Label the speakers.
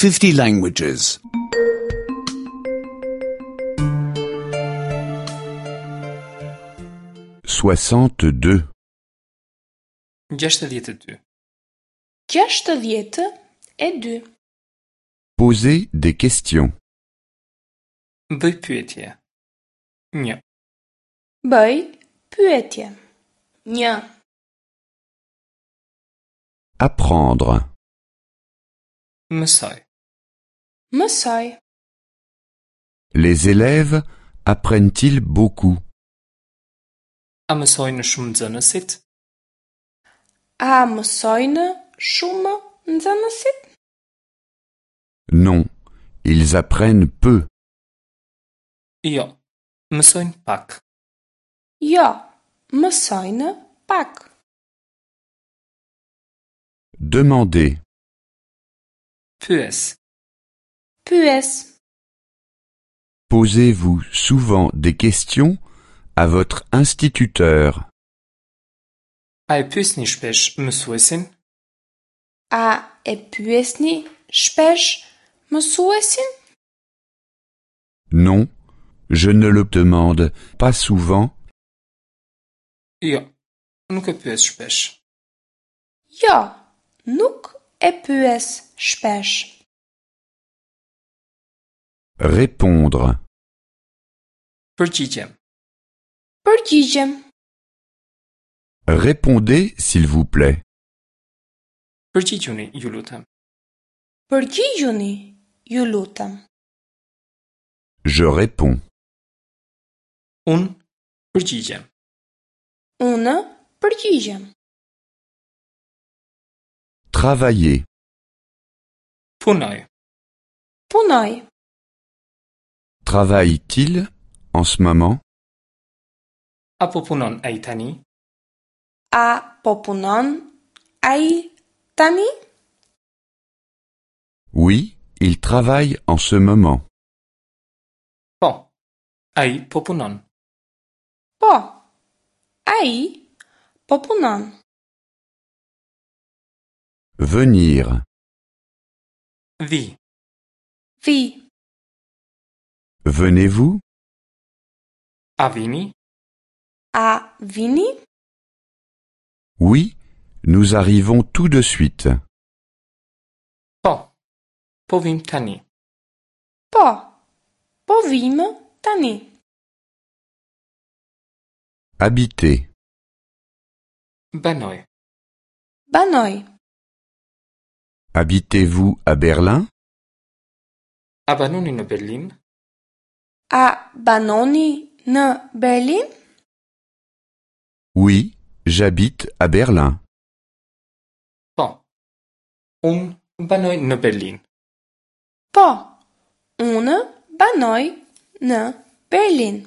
Speaker 1: 50 languages.
Speaker 2: 62.
Speaker 3: 62.
Speaker 4: 62.
Speaker 2: Poser des questions.
Speaker 3: Bëj pyetje. 1.
Speaker 4: Bëj pyetje. 1.
Speaker 2: Apprendre.
Speaker 3: Mësoj.
Speaker 4: Mësoj.
Speaker 2: Les élèves apprennent-ils beaucoup
Speaker 3: A mësojnë shumë nxënësit?
Speaker 4: A mësojnë shumë nxënësit?
Speaker 2: Non, ils apprennent peu.
Speaker 3: Jo, mësojnë pak.
Speaker 4: Jo, mësojnë pak.
Speaker 2: Demander.
Speaker 3: Pyes.
Speaker 4: Pyes.
Speaker 2: Posez-vous souvent des questions à votre instituteur.
Speaker 3: A e pyesni shpesh mësuesin?
Speaker 4: A e pyesni shpesh mësuesin?
Speaker 2: Non, je ne le demande pas souvent.
Speaker 3: Jo, nuk e pyes shpesh.
Speaker 4: Jo, nuk e pyes shpesh.
Speaker 2: Répondre.
Speaker 3: Përgjigjem.
Speaker 4: Përgjigjem.
Speaker 2: Répondez, s'il vous plaît.
Speaker 3: Përgjigjuni, ju lutem.
Speaker 4: Përgjigjuni, ju lutem.
Speaker 2: Je réponds.
Speaker 3: Unë përgjigjem.
Speaker 4: Unë përgjigjem.
Speaker 2: Travailler.
Speaker 3: Punoj.
Speaker 4: Punoj.
Speaker 2: Travaille-t-il en ce moment
Speaker 3: A po punon ai tani?
Speaker 4: A po punon ai tani?
Speaker 2: Oui, il travaille en ce moment.
Speaker 3: Po. Ai po punon.
Speaker 4: Po. Ai po punon.
Speaker 2: Venir.
Speaker 3: Vi.
Speaker 4: Vi.
Speaker 2: Venez-vous
Speaker 3: A vini?
Speaker 4: A vini?
Speaker 2: Oui, nous arrivons tout de suite.
Speaker 3: Po. Po vim tani.
Speaker 4: Po. Po vim tani.
Speaker 2: Habiter.
Speaker 3: Banoj.
Speaker 4: Banoj.
Speaker 2: Habitez-vous à Berlin
Speaker 3: A banoni në Berlin?
Speaker 4: A banoni në Berlin?
Speaker 2: Oui, j'habite à Berlin.
Speaker 3: Po. Unë banoj në Berlin.
Speaker 4: Po. Unë banoj në Berlin.